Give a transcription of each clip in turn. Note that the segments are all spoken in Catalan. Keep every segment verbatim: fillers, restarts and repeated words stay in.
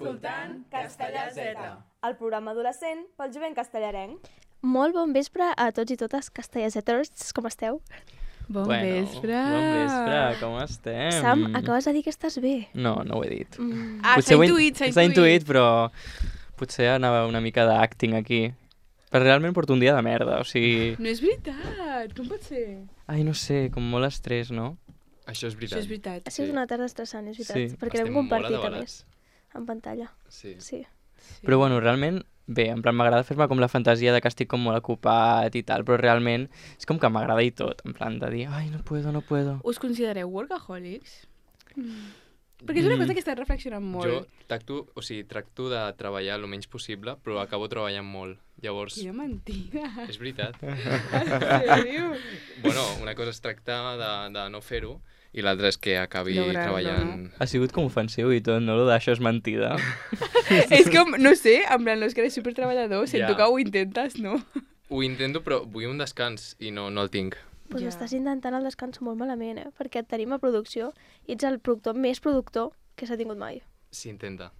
escoltant Castellà Z, el programa adolescent pel jovent castellarenc. Molt bon vespre a tots i totes castellaseters, com esteu? Bon bueno, vespre. Bon vespre, com estem? Sam, acabes de dir que estàs bé. No, no ho he dit. Mm. Ah, s'ha intuït, s'ha intuït. S'ha intuït, però potser anava una mica d'acting aquí. Però realment porto un dia de merda, o sigui... No és veritat, com pot ser? Ai, no sé, com molt estrès, no? Això és veritat. Això és veritat. Ha sigut una tarda estressant, és veritat, Sí. perquè Estem l'hem compartit molt a més, atabalats. en pantalla. Sí. Sí. Sí. Però bueno, realment, bé, en plan m'agrada fer-me com la fantasia de que estic com molt ocupat i tal, però realment és com que m'agrada i tot, en plan de dir, ai, no puedo, no puedo. Us considereu workaholics? Mm. Perquè és una cosa que estat reflexionant molt. Jo tracto, o sigui, tracto de treballar el menys possible, però acabo treballant molt. Llavors, Quina mentida. és veritat. En sèrio? Bueno, una cosa és tractar de, de no fer-ho i l'altra és que acabi Lograr-lo, treballant... Ha sigut com ofensiu i tot, no? Lo d'això és mentida. És com, no sé, en plan, no és que eres supertreballador, sento Ja. que ho intentes, no? Ho intento, però vull un descans i no, no el tinc. Pues Ja. estàs intentant el descans molt malament, eh? Perquè et tenim a producció i ets el productor més productor que s'ha tingut mai. S'intenta.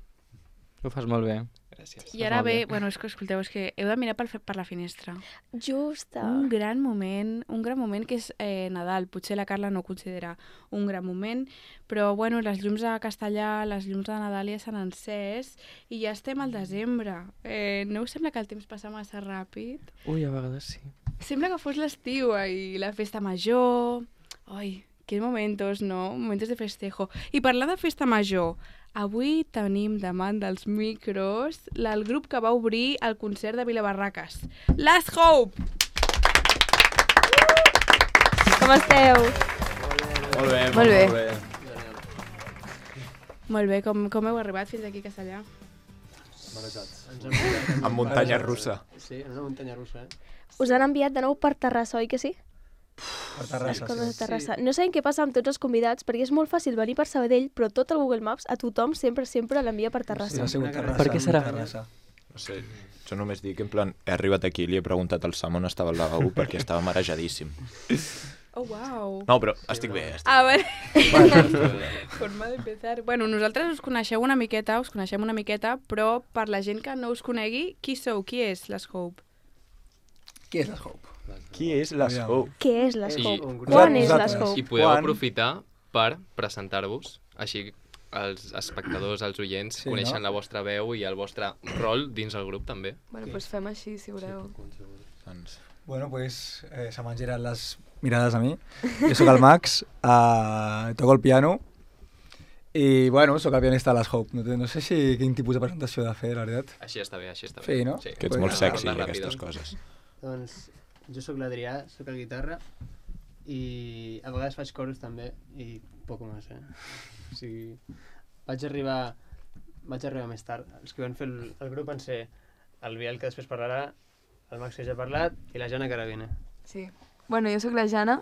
Ho fas molt bé. Gràcies. I ara molt ve, bé. bueno, és que escolteu, és que heu de mirar per, per la finestra. Justa. Un gran moment, un gran moment que és eh, Nadal. Potser la Carla no ho considera un gran moment, però bueno, les llums a Castellà, les llums de Nadal ja s'han encès i ja estem al desembre. Eh, no us sembla que el temps passa massa ràpid? Ui, a vegades sí. Sembla que fos l'estiu i la festa major. Ai, quins momentos, no? Momentos de festejo. I parlar de festa major, avui tenim davant dels micros el grup que va obrir el concert de Vilabarraques. Last Hope! Com esteu? Molt bé, Molt bé. Molt bé, com, com heu arribat fins aquí a Castellà? Amb muntanya russa. Sí, en una muntanya russa, eh? Us han enviat de nou per Terrassa, oi que sí? Per Les Terrassa, coses de sí. Terrassa. No sabem què passa amb tots els convidats, perquè és molt fàcil venir per Sabadell, però tot el Google Maps a tothom sempre, sempre l'envia per Sí, Terrassa. ha sigut Una Terrassa. Per què serà? Terrassa. No sé, jo només dic, en plan, he arribat aquí i li he preguntat al Sam on estava el lavabo perquè estava marejadíssim. Oh, wow! No, però estic bé, estic Ah, bé. vale. Forma d'empezar. Bueno, nosaltres us coneixeu una miqueta, us coneixem una miqueta, però per la gent que no us conegui, qui sou? Qui és les Hope? Qui és la Hope? Qui és la Aviam. Hope? Què és les I- Hope? un grup. Quan és Nosaltres. les Hope? I podeu Quan? aprofitar per presentar-vos, així els espectadors, els oients, Sí, sí, coneixen no? la vostra veu i el vostre rol dins el grup també. Bueno, doncs fem així, si voleu. Doncs, Bueno, pues eh, se m'han girat les mirades a mi. Jo sóc el Max, uh, toco el piano i, bueno, sóc el pianista de les Hope. No, té- no sé si quin tipus de presentació he de fer, la veritat. Així està bé, així està bé. Sí, no? Sí. que ets Pues molt nada, sexy, parla aquestes ràpid. coses. Doncs jo sóc l'Adrià, sóc el guitarra i a vegades faig coros també i poc més, eh? O sigui, vaig arribar, vaig arribar més tard. Els que van fer el, el grup van ser el Biel, que després parlarà, el Max, que ja ha parlat, i la Jana, que ara viene. Sí. Bueno, jo sóc la Jana,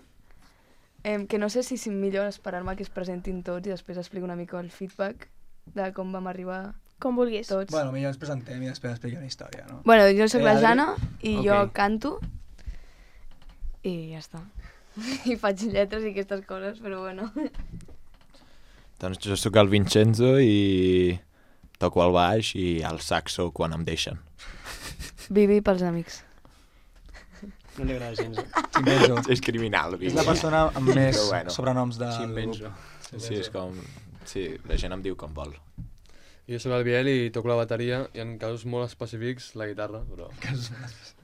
eh, que no sé si és millor esperar-me que es presentin tots i després explico una mica el feedback de com vam arribar Com vulguis. tots. Bueno, millor ens presentem i després expliquem la història, no? Bueno, jo sóc Eh, la Adri? Jana i Ok. jo canto i ja està. I faig lletres i aquestes coses, però bueno. Doncs jo sóc el Vincenzo i toco el baix i el saxo quan em deixen. Vivi pels amics. No li agrada gens. Eh? Chimbenzo. És criminal, És la persona amb més Però bueno. sobrenoms del Chimbenzo. grup. Sí, és com... Sí, la gent em diu com vol. Jo soc el Biel i toco la bateria i en casos molt específics la guitarra, però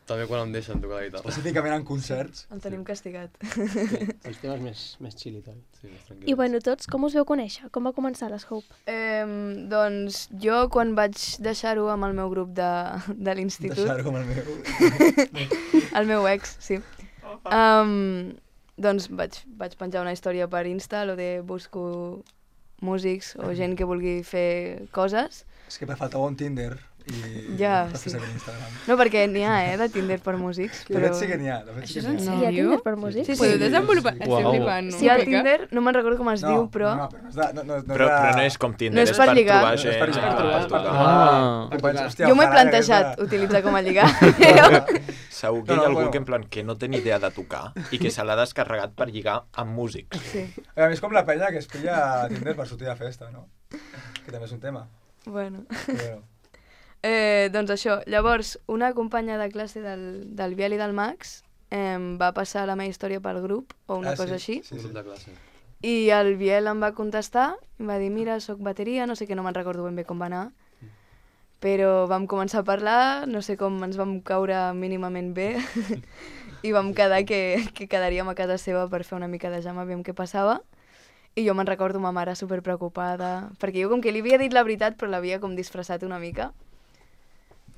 també quan em deixen tocar la guitarra. Específicament en concerts. El tenim castigat. Sí, els temes més, més chill i tal. Sí, més I tranquil. bueno, tots, com us veu conèixer? Com va començar les Hope? Eh, doncs jo quan vaig deixar-ho amb el meu grup de, de l'institut, Deixar-ho com el meu... el meu ex, sí, um, doncs vaig, vaig penjar una història per Insta, lo de busco músics o gent que vulgui fer coses. És que me faltava un Tinder i... Ja, després sí. seguir Instagram. No, perquè n'hi ha, eh, de Tinder per músics, De però... fet sí que n'hi ha. De fet Això sí és que en n'hi ha. sèrio? Hi ha Tinder per músics? Sí, sí. Podeu desenvolupar? Uau. Estic flipant, no? Si hi ha Una mica. Tinder, no me'n recordo com es No, diu, però... No, però no és de... No, no, no Però, és de... però no és com Tinder, No és és per per lligar. trobar No és gent. per lligar, ah, per per tocar. Ah. Tu penses, hòstia, Jo m'ho he ojalà plantejat aquesta- utilitzar com a lligar, però... Segur que No, hi no, ha algú bueno. que, en plan, que no té ni idea de tocar i que se l'ha descarregat per lligar amb músics. Sí. A mi és com la penya que es pilla a Tinder per sortir de festa, no? Que també és un tema. Bueno. Bueno. Eh, doncs això, llavors, una companya de classe del, del Biel i del Max eh, va passar la meva història pel grup, o una Ah, cosa sí, així, sí, Un sí. grup de classe. i el Biel em va contestar, em va dir, mira, soc bateria, no sé què, no me'n recordo ben bé com va anar, però vam començar a parlar, no sé com ens vam caure mínimament bé, i vam quedar que, que quedaríem a casa seva per fer una mica de jam, aviam què passava, i jo me'n recordo ma mare superpreocupada, perquè jo com que li havia dit la veritat, però l'havia com disfressat una mica,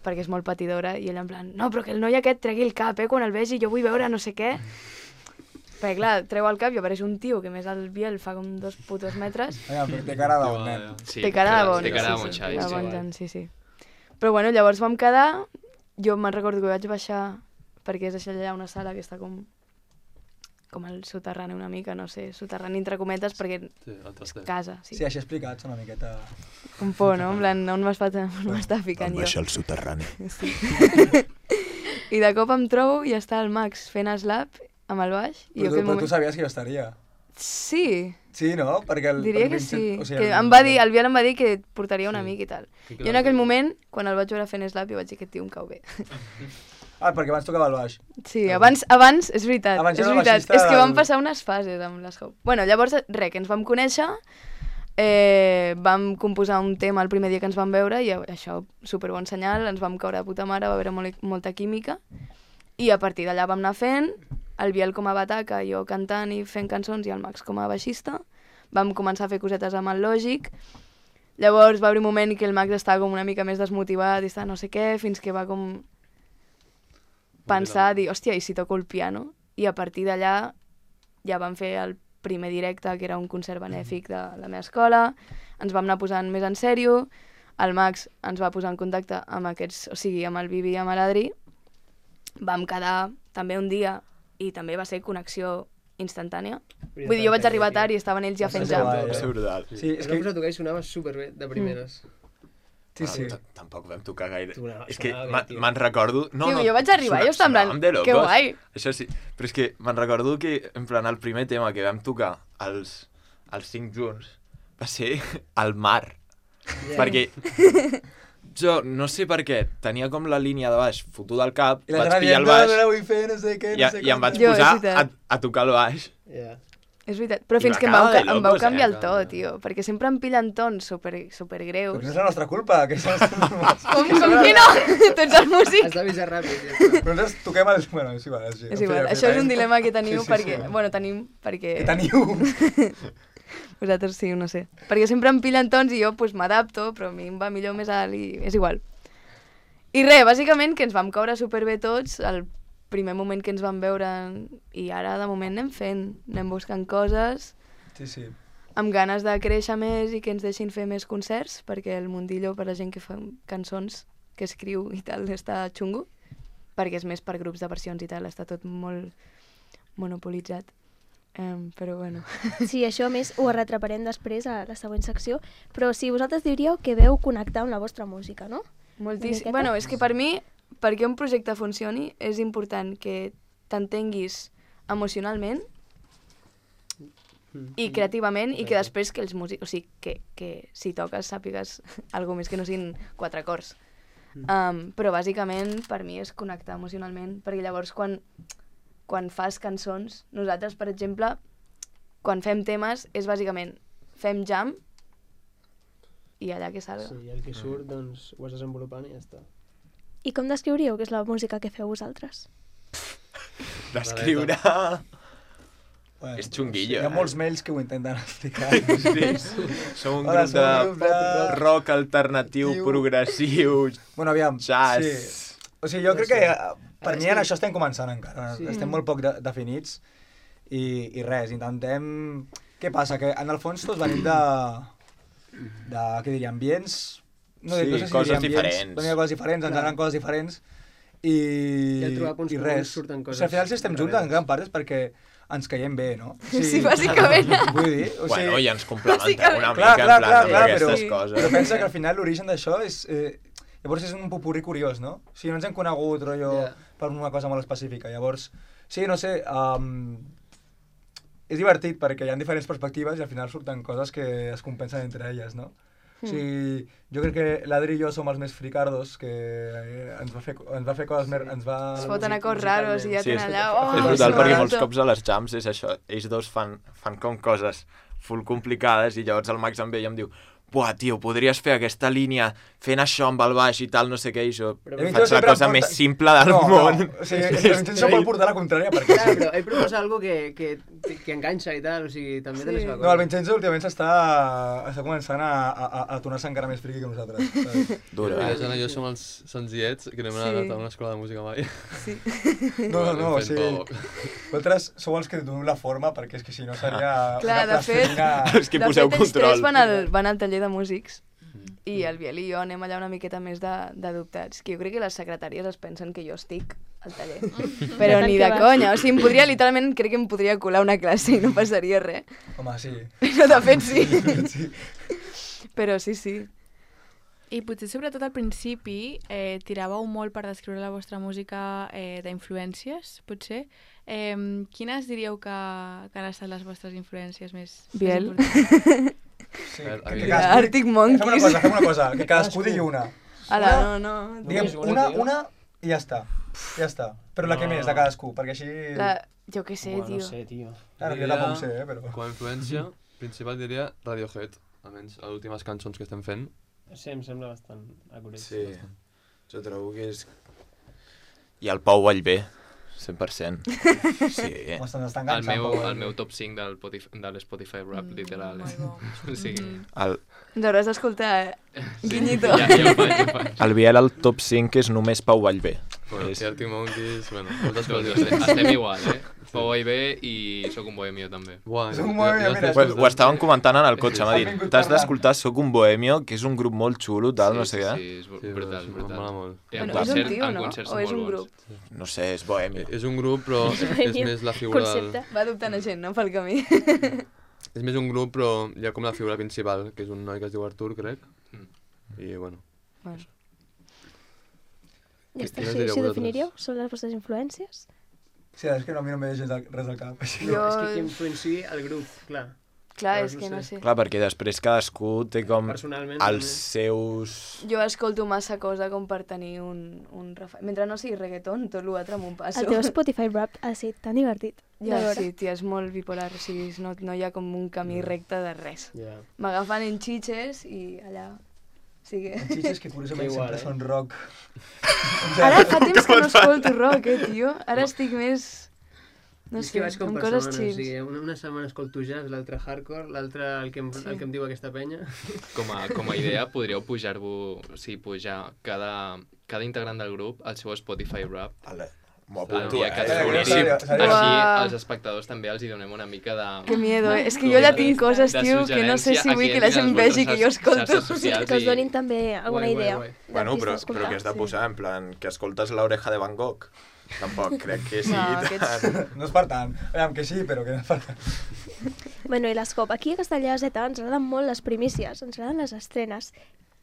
perquè és molt patidora, i ella en plan, no, però que el noi aquest tregui el cap, eh, quan el vegi, jo vull veure no sé què. Perquè clar, treu el cap i apareix un tio que més el Biel fa com dos putos metres. Vinga, però té cara de bon nen. Sí, té cara de bon, té cara de sí, bon sí, Xavi, de sí. bon Jan, sí, sí. Però bueno, llavors vam quedar, jo me'n recordo que vaig baixar, perquè és això allà una sala que està com com el soterrani una mica, no sé, soterrani entre cometes, perquè Sí, el és traster. casa, sí. Sí, així explicats una miqueta... Un por, no? En plan, on m'està ficant jo? baixar al soterrani. Sí. I de cop em trobo i està el Max fent slap amb el baix. I Però, jo tu, aquell però tu sabies que jo estaria. Sí, Sí, no? Perquè el, diria el que sí. Vincent- o sigui, Que el- em va dir, el Biel em va dir que portaria un Sí. amic i tal. Que Jo en aquell moment, quan el vaig veure fent slap, jo vaig dir que tio em cau bé. Ah, perquè abans tocava el baix. Sí, abans, abans és veritat, Abans és era el veritat. baixista És que vam del- passar unes fases amb les Hope. Bueno, llavors, res, que ens vam conèixer, eh, vam composar un tema el primer dia que ens vam veure i això, superbon senyal, ens vam caure de puta mare, va haver molt, molta química i a partir d'allà vam anar fent, el Biel com a bataca, jo cantant i fent cançons i el Max com a baixista. Vam començar a fer cosetes amb el Lògic. Llavors va haver un moment que el Max estava com una mica més desmotivat i estava no sé què, fins que va com pensar, dir, hòstia, i si toco el piano? I a partir d'allà ja vam fer el primer directe, que era un concert benèfic de la meva escola, ens vam anar posant més en sèrio, el Max ens va posar en contacte amb aquests, o sigui, amb el Bibi i amb l'Adri, vam quedar també un dia i també va ser connexió instantània. Vull dir, jo vaig arribar tard i estaven ells ja fent ser jam. guai, Va ser brutal. Sí, és És que... que... tocar i sonava superbé, de primeres. Sí, sí. Bueno, t- Tampoc vam tocar gaire. Tu, no, És que sonava bé, ma- tio. me'n recordo... No, Tio, no, jo vaig arribar i jo estava en plan, sonàvem de que locos. guai. Això sí, però és que me'n recordo que, en plan, el primer tema que vam tocar, els, els cinc junts, va ser el mar. Yeah. Perquè jo, no sé per què, tenia com la línia de baix fotuda al cap, I la vaig gent pillar el dient, baix no, no, vull fer, no sé què, i, no sé i em vaig Jo, és posar a, veritat. a tocar el baix. Yeah. És veritat, però I fins va que em quedar vau, de ca- em vau locos, eh? canviar el to, tio, perquè sempre em pillen tons super, super Però greus. no és la nostra culpa, que és la nostra... Com, com que no? Tu ets el músic. Has d'avisar ràpid. Ja està. Però nosaltres toquem el... Bueno, és igual. És, És igual, això és un dilema que teniu Sí, sí, perquè... sí. Bueno, tenim perquè... Que teniu. Vosaltres sí, no sé. Perquè sempre em pillen tons i jo pues, m'adapto, però a mi em va millor més alt i és igual. I res, bàsicament que ens vam caure superbé tots el primer moment que ens vam veure i ara de moment anem fent, anem buscant coses Sí, sí. amb ganes de créixer més i que ens deixin fer més concerts, perquè el mundillo per la gent que fa cançons, que escriu i tal, està xungo, perquè és més per grups de versions i tal, està tot molt monopolitzat. Um, però bueno. Sí, això a més ho arretraparem després a la següent secció, però si vosaltres diríeu que veu connectar amb la vostra música, no? Moltíssim. miqueta? Bueno, és que per mi, perquè un projecte funcioni, és important que t'entenguis emocionalment i creativament i que després que els músics, o sigui, que, que si toques sàpigues alguna més que no siguin quatre acords. Um, però bàsicament per mi és connectar emocionalment, perquè llavors quan, quan fas cançons, nosaltres, per exemple, quan fem temes, és bàsicament fem jam i allà que salga. Sí, i el que surt, doncs, ho vas desenvolupant i ja està. I com descriuríeu que és la música que feu vosaltres? D'escriure... Bueno, És xunguillo, Hi ha eh? molts mails que ho intenten explicar. Sí, som un Hola, grup som un grup de de- rock alternatiu, Tiu. progressiu, Bueno, aviam, jazz... sí. O sigui, jo crec que eh, per És mi que- en això estem començant encara. Sí. Estem molt poc de definits i, i res, intentem... Què passa? Que en el fons tots venim de... de, què diria, ambients... No, Sí, no sé si coses diria ambients, diferents. venim de coses diferents, ens Clar. agraden coses diferents i, I al trobar punts i comuns res. surten O coses sigui, al final si estem junts en darreres. gran part és perquè ens caiem bé, no? Sí, bàsicament. Vull dir, o sigui... Bueno, i ens complementem Bàsicament. una Clar, mica, clar, en plan, clar, amb clar, aquestes però- coses. Però pensa que al final l'origen d'això és... Eh, llavors és un popurrí curiós, no? O sigui, no ens hem conegut, rotllo, Ja. per una cosa molt específica. Llavors, sí, no sé, um, és divertit perquè hi ha diferents perspectives i al final surten coses que es compensen entre elles, no? O sigui, jo crec que l'Adri i jo som els més fricardos, que eh, ens va fer, ens va fer coses més... Ens va... Es foten a cors raros i ja Sí, és, tenen allà... és Oh, brutal perquè sí, molts cops a les jams és això, ells dos fan, fan com coses full complicades i llavors el Max em ve i em diu buah, tio, podries fer aquesta línia fent això amb el baix i tal, no sé què, i jo Però faig la cosa porta... més simple del no, món. No, o sigui, el Vincenzo pot portar la contrària perquè... Clar, però ell proposa algo que, que, que enganxa i tal, o sigui, també té la seva cosa. No, el Vincenzo últimament s'està està començant a, a, a tornar-se encara més friqui que nosaltres. Saps? Dura, I eh? la Jana i jo som els senzillets que no hem Sí. anat a una escola de música mai. Sí. No, no, no, o Fent sigui, poc. vosaltres sou els que donem la forma perquè és que si no seria Clar, una de fet, plastilina... Els que de poseu fet, ells control. tres van al, van al taller de músics i el Biel i jo anem allà una miqueta més de- d'adoptats, que jo crec que les secretàries es pensen que jo estic al taller. Però De tant ni que de vas. conya, o sigui, em podria, literalment, crec que em podria colar una classe i no passaria res. Home, sí. Però de fet sí. sí. Però sí, sí. I potser sobretot al principi eh, tiràveu molt per descriure la vostra música eh, d'influències, potser. Eh, quines diríeu que, que han estat les vostres influències més, Biel. més importants? Sí, A veure, que, a que veure. cadascú... Arctic Fem una Monkeys. cosa, fem una cosa, que cadascú digui una. Ala, Una- no, no. Diguem Només una, una, tio. una i ja està. Ja està. Però la que No. més, de cadascú, perquè així... La... Jo què sé, Bueno, tio. no sé, tio. Ara, jo Diria- tampoc ho sé, eh, però... Com a influència principal diria Radiohead, almenys a les últimes cançons que estem fent. Sí, em sembla bastant acurat. Sí, jo trobo que és... I el Pau Vallvé, cent per cent. Sí. Home, se'ns està El enganxant. meu, Pau, el eh? meu top cinc del Spotify, de l'Spotify Rap, literal. Molt bo. O sigui, Mhm. El, Ens hauràs d'escoltar, eh? Guinyito. ja, ja ho faig, ja ho faig. el Biel al top cinc és només Pau Vallvé. Bueno, És- i Arctic Monkeys, bueno, moltes Doncs coses. estem, estem igual, eh? Pau I B i Soc un bohemio, també. Buah, És un jo- bohemio, jo mira, estic Ho, ho estàvem comentant en el cotxe, m'ha Han dit, vingut t'has parlant. d'escoltar Soc un bohemio, que és un grup molt xulo, tal, no sé sí, què. Sí, és Sí, brutal, em brutal. mola molt. I en Bueno, és un concert, tio, en no? concerts O són és un molt grup? bons. No sé, és bohemi. És un grup, però és, és més la figura del... Concepte. Va adoptant a gent, no? Pel camí. És més un grup, però hi ha com la figura principal, que és un noi que es diu Artur, crec. Mm. I, bueno, Bueno. Ja està, Quines sí, diríeu sí, vosaltres? definiríeu? Són les vostres influències? Sí, és que no, a mi no em ve gens res al cap. Així. Jo- És que qui influenciï el grup, clar. Clar, Però és no que no sé. sé. Clar, perquè després cadascú té com Personalment, els també. seus... Jo escolto massa cosa com per tenir un, un refer... Mentre no sigui reggaeton, tot l'altre m'ho passo. El teu Spotify Rap ha estat tan divertit de Ja, veure. sí, tia, és molt bipolar, o sigui, no, no hi ha com un camí recte de res. Ja. M'agafen en xitxes i allà... O sigui... En xitxes que curiosament Que igual, sempre eh? són rock. Ara fa temps que no escolto rock, eh, tio? Ara estic més... No és sé, que vaig com amb per coses setmanes, o xils. sigui, una, una setmana escolto jazz, l'altra hardcore, l'altra el, que em, Sí. el que em diu aquesta penya. Com a, com a idea, podríeu pujar-vos, o sigui, pujar cada, cada integrant del grup al seu Spotify Rap. Ale, m'ho El apunto, dia que eh? es Eh, boníssim. seria- seria- Així Uau. als espectadors també els hi donem una mica de... Que miedo, eh? És que com jo ja de- tinc coses, de tio, que no sé suggerència si a vull qui que la entrin gent a les vegi que jo vostres escolto. xarxes socials Que us i- donin també alguna Guai, guai, idea. guai. Bueno, d'artistes però, a escoltar. però què has de Sí. posar? En plan, que escoltes l'oreja de Van Gogh? Tampoc crec que sigui No, tan... aquests- No és per tant. Aviam, que sí, però que no és per tant. Bueno, i l'Escop, aquí a Castellà de Z ens agraden molt les primícies, ens agraden les estrenes.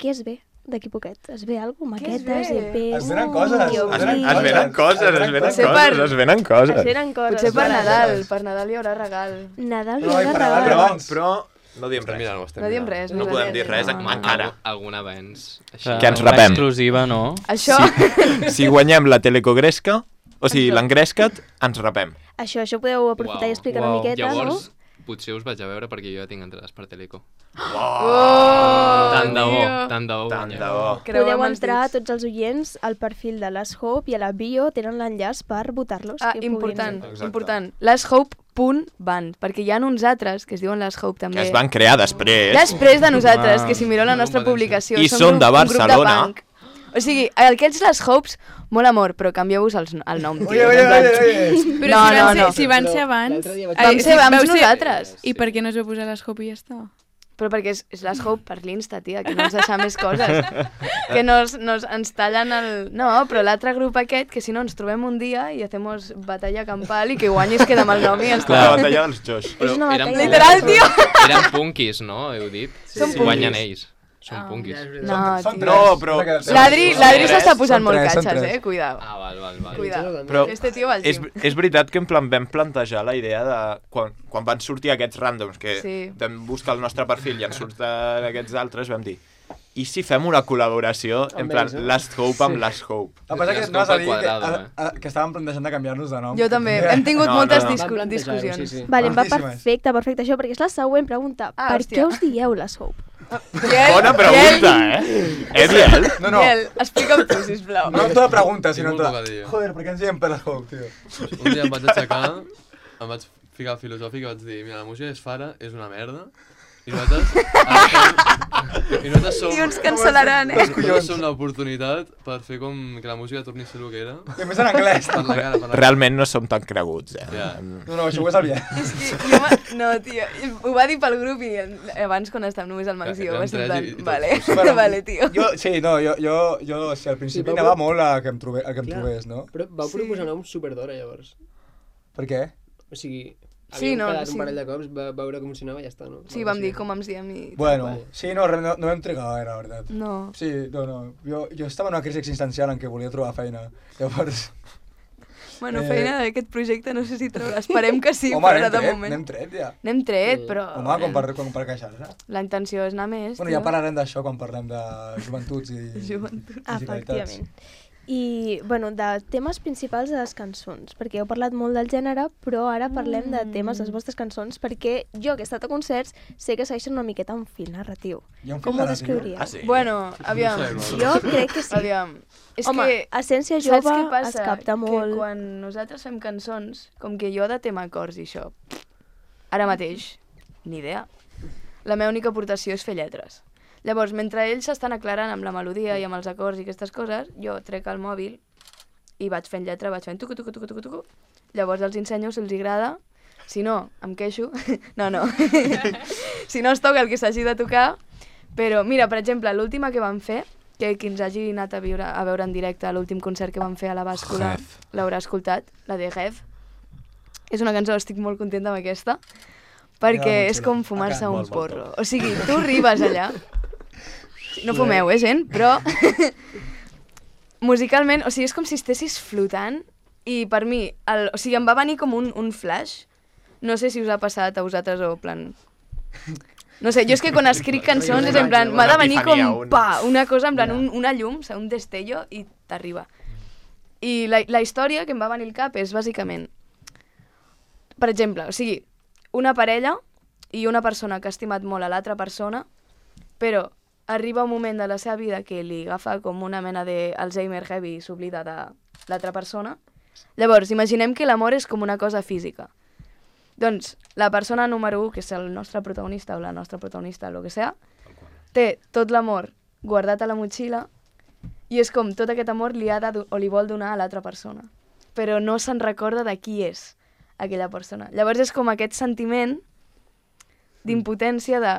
Què es ve d'aquí poquet? Es ve alguna cosa? Què es Maquetes, ve? E Pes... Es venen coses, Dios es Es, venen mío. es venen coses, es venen Potser coses, per- es venen coses. Es venen coses. Potser per Vale. Nadal, per Nadal hi haurà regal. Nadal No, no, i no, per Nadal, regal. però- Però, però no diem estem res. mirant-ho, estem No diem mirant-ho. res. No més podem aviat. dir res, No, no. encara. Algun, algun avenç. Així. Clar, Que ens una rapem. exclusiva, no? Això... Si guanyem la telecogresca, o sigui, l'engrescat, ens rapem. Això, això podeu aprofitar Uau. i explicar Uau. una miqueta, Llavors, no? potser us vaig a veure perquè jo ja tinc entrades per Teleco. Oh, Tant de bo, tio. tant de bo. Tant guanyem. de bo. Creuem Podeu els entrar, dits. tots els oients, al perfil de l'As Hope i a la bio tenen l'enllaç per votar-los. Ah, que puguin- important, Exacte. important. Lashhope punt band, perquè hi ha uns altres que es diuen Lashhope també. Que es van crear després. Després de nosaltres, Ah. que si mireu la nostra Competència. publicació, I som són grup- de un grup Barcelona. punk. O sigui, aquests Lashhopes, molt amor, però canvieu-vos els- el nom, tio. Oye, oye, En plan, oye, oye. Però No, si, no, van ser, no. si van Però ser abans... l'altre dia vaig- Ai, Vam ser si abans vau ser- nosaltres. I per què no es va posar l'Escop i ja està? Però perquè és, és Lashhope per l'Insta, tia, que no ens deixa més coses. Que nos, nos, ens tallen el... No, però l'altre grup aquest, que si no ens trobem un dia i hacemos batalla campal i que guanyis queda amb el nom i ja està. La batalla dels Josh. És una eren, batalla. Literal, tio! eren punkis, no? Heu dit? Som Sí. punkis. Guanyen ells. Són Ah. punkis. No, Són tio. No, però... L'Adri l'Adri s'està posant Són molt tres, són catxes, tres. eh? Cuidao. Ah, val, val, val. Cuidao. Però Este tio va al és, gym. és veritat que en plan vam plantejar la idea de... Quan, quan van sortir aquests randoms, que Sí. vam buscar el nostre perfil i ens surten aquests altres, vam dir, i si fem una col·laboració, en Amb plan, ells, eh? Last Hope amb Last Hope? El que passa és Les que anaves a copa dir que, quadrada, a, a, que estàvem plantejant de canviar-nos de nom. Jo també. Hem tingut No, moltes no, no. discu- Vam plantejar-ho, discussions. sí, sí. Vale, em va Boníssimes. perfecte, perfecte això, perquè és la següent pregunta. Ah, per hòstia. què us dieu les Hope? Bona pregunta, eh? Eh, Biel? No, no. Biel, explica'm tu, sisplau. No tota pregunta, sinó Tinc molt tota... poc a dir. Joder, per què ens diem per la Hope, tio? Un dia em vaig aixecar, em vaig ficar filosòfic i vaig dir, mira, la música és fara, és una merda, i nosaltres... I nosaltres som... I uns cancel·laran, eh? Nosaltres som l'oportunitat per fer com que la música torni a ser el que era. I a més en anglès. Per la cara, per la cara. Realment no som tan creguts, eh? Ja. No, no, això ho és el Biel. És que jo va... No, tio, ho va dir pel grup i abans quan estàvem només al Max i jo Érem va ser en tres plan, i- i tots. vale, Bueno, vale, tio. Jo, sí, no, jo, jo, jo o sigui, al principi Sí, anava però- molt a que em, trobe, a que em Clar. trobés, no? Però vau Sí. proposar noms superdora, llavors. Per què? O sigui, Sí, havíem no, quedat sí. un parell de cops, va veure com sonava i ja està, no? Sí, vam dir com ens diem i... Bueno, vale. sí, no, re- no, no vam trigar gaire, la veritat. No. Sí, no, no. Jo, jo estava en una crisi existencial en què volia trobar feina. Llavors... Bueno, Eh, feina d'aquest projecte no sé si traurà. Esperem que sí, Home, però n'hem ara de tret, moment. n'hem tret, ja. N'hem tret, Sí. però... Home, com per, com per queixar-se. La intenció és anar més, Bueno, tio. ja parlarem d'això quan parlem de joventuts i Joventut. musicalitats. Efectivament. I, bueno, de temes principals de les cançons, perquè heu parlat molt del gènere, però ara parlem de temes de les vostres cançons, perquè jo, que he estat a concerts, sé que segueixen una miqueta un fil narratiu. Hi ha un Com fil ho narratiu? descriuríeu? Ah, sí? Bueno, aviam. No sé, Jo crec que sí. Aviam. És Home, que... Essència Saps Jove què passa? es capta molt. Que quan nosaltres fem cançons, com que jo de tema acords i això, ara mateix, ni idea. La meva única aportació és fer lletres. Llavors, mentre ells s'estan aclarant amb la melodia i amb els acords i aquestes coses, jo trec el mòbil i vaig fent lletra, vaig fent tucu, tucu, tucu, tucu, tucu. Llavors els ensenyo si els agrada. Si no, em queixo. No, no. Si no es toca el que s'hagi de tocar. Però, mira, per exemple, l'última que vam fer, que qui ens hagi anat a, viure, a veure en directe l'últim concert que vam fer a la bàscula Rêve. l'haurà escoltat, la de Rêve. És una cançó, estic molt contenta amb aquesta, perquè molt és xula. com fumar-se Acá. un Molt, molt porro. O sigui, tu arribes allà, no fumeu, eh, gent, però musicalment, o sigui, és com si estessis flotant i per mi, el, o sigui, em va venir com un, un flash. No sé si us ha passat a vosaltres o plan... No sé, jo és que quan escric cançons és en plan, m'ha de venir com, Una epifania, un- pa, una cosa en plan, un, una llum, o sigui, un destello i t'arriba. I la, la història que em va venir al cap és bàsicament, per exemple, o sigui, una parella i una persona que ha estimat molt a l'altra persona, però arriba un moment de la seva vida que li agafa com una mena d'Alzheimer heavy i s'oblida de l'altra persona. Llavors, imaginem que l'amor és com una cosa física. Doncs la persona número un, que és el nostre protagonista o la nostra protagonista, el que sea, té tot l'amor guardat a la motxilla i és com tot aquest amor li ha de, do- o li vol donar a l'altra persona. Però no se'n recorda de qui és aquella persona. Llavors és com aquest sentiment d'impotència de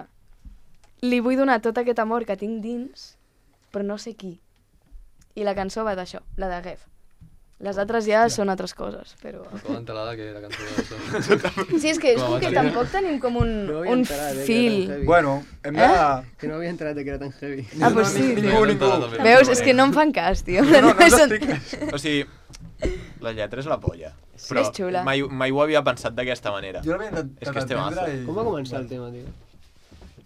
li vull donar tot aquest amor que tinc dins, però no sé qui. I la cançó va d'això, la de Rêve. Les altres ja són altres coses, però... Tota l'entelada que la cançó d'això. Sí, és que és Com a com que bateria. tampoc tenim com un, No havia un enterat, eh, que era fil. tan heavy. Bueno, hem de... Que no havia enterat que era tan heavy. Ah, pues sí, Ningú, tio. ningú. Veus? És que no em fan cas, tio. No, no, no És un- t'estic... O sigui, la lletra és la polla. Sí, Però és xula. mai, mai ho havia pensat d'aquesta manera. Jo l'havia És que és temazo. i... Com va començar el tema, tio?